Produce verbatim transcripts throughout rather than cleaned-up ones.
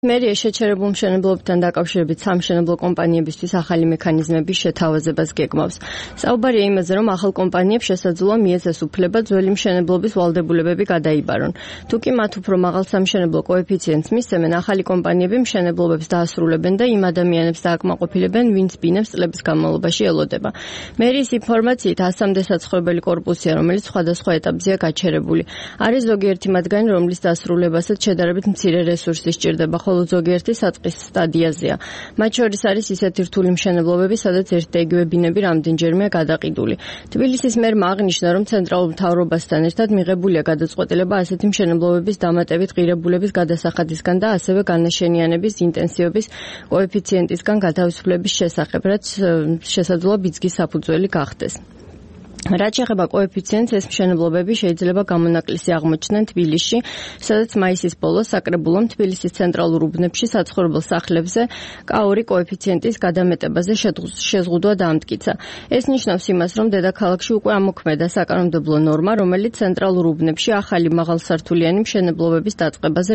მერია შეჩერებულ მშენებლობებთან დაკავშირებით სამშენებლო კომპანიებისთვის ახალი მექანიზმების შეთავაზებას გეგმავს. საუბარია იმაზე, რომ ახალ კომპანიებს შესაძლოა მიეცეს უფლება ძველი მშენებლობის ვალდებულებები გადაიბარონ. თუკი მათ უფრო მაღალ სამშენებლო კოეფიციენტს მისცემენ, ახალი კომპანიები მშენებლობებს დაასრულებენ და იმ ადამიანებს დააკმაყოფილებენ, ვინც ბინებს წლების განმავლობაში ელოდება. მერიის ინფორმაციით ასამდე საცხოვრებელი კორპუსია, რომელიც სხვადასხვა ეტაპზეა გაჩერებული. არის ზოგიერთი მათგანი, რომლის დასრულებასაც შედარებით მცირე რესურსი სჭირდება. ხოლო ზოგიერთი საწყის სტადიაზეა. მათ შორის არის ისეთი რთული მშენებლობები, სადაც ერთ და იგივე ბინები რამდენჯერმეა გადაყიდული. თბილისის მერმა აღნიშნა, რომ ცენტრალურ მთავრობასთან ერთად მიღებულია გადაწყვეტილება ასეთი მშენებლობების დამატებით ღირებულების გადასახადისგან და ასევე განაშენიანების ინტენსივობის კოეფიციენტისგან გათავისუფლების შესახებ, რაც შესაძლოა ბიძგის საფუძველი გახდეს. რაც შეეხება კოეფიციენტს, ეს მშენებლობები შეიძლება გამონაკლისი აღმოჩნდნენ თბილისში, სადაც მაისის ბოლოს საკრებულომ თბილისის ცენტრალურ უბნებში საცხოვრებელ სახლებზე კა-ორი კოეფიციენტის გადამეტებაზე შეზღუდვა დაამტკიცა. ეს ნიშნავს იმას, რომ დედაქალაქში უკვე ამოქმედა საკანონმდებლო ნორმა, რომელიც ცენტრალურ უბნებში ახალი მაღალსართულიანი მშენებლობების დაწყებაზე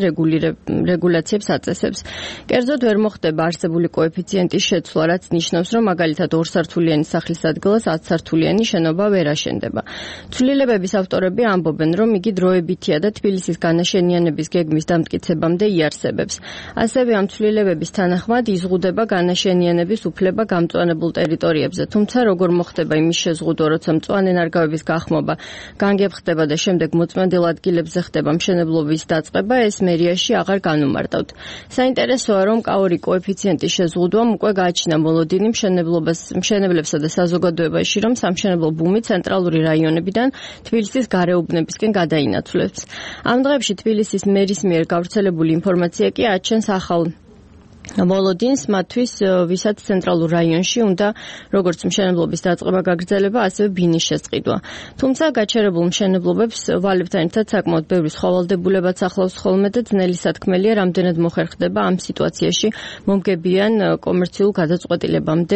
რეგულაციებს აწესებს. კერძოდ ვერ მოხდება არსებული კოეფიციენტის შეცვლა, რაც ნიშნავს, რომ მაგალითად ორსართულიანი სახლის ადგილას ათსართულიანი შენობა ვერ აშენდება. ცვლილებების ავტორები ამბობენ, რომ იგი დროებითია და თბილისის განაშენიანების გეგმის დამტკიცებამდე იარსებებს. ასევე ამ ცვლილებების თანახმად იზღუდება განაშენიანების უფლება გამწვანებულ ტერიტორიებზე, თუმცა როგორ მოხდება იმის შეზღუდვა, როცა მწვანე ნარგავების გახმობა განგებხდება და შემდეგ მოწმენდილ ადგილებზე ხდება მშენებლობის დაწყება, ეს მერიაში აღარ განუმარტავთ. საინტერესოა, რომ კა-ორი კოეფიციენტის შეზღუდვამ უკვე გააჩინა მოლოდინი მშენებლობას, მშენებლებსა და საზოგადოებაში, რომ სამშენებლო ბუმი ცენტრალური რაიონებიდან თბილისის გარეუბნებისკენ გადაინაცვლებს. ამ დღეებში თბილისის მერის მიერ გავრცელებული ინფორმაცია კი აჩენს ახალ მოლოდინს მათთვის, ვისაც ცენტრალურ რაიონში უნდა როგორც მშენებლობის დაწყება გაგრძელება, ასევე ბინის შესყიდვა. თუმცა გაჩერებულ მშენებლობებს ვალებთან ერთად საკმაოდ ბევრი სხვა ვალდებულებაც ახლავს ხოლმე და ძნელი სათქმელია, რამდენად მოხერხდება ამ სიტუაციაში მომგებიან კომერციულ გადაწყვეტილებამდე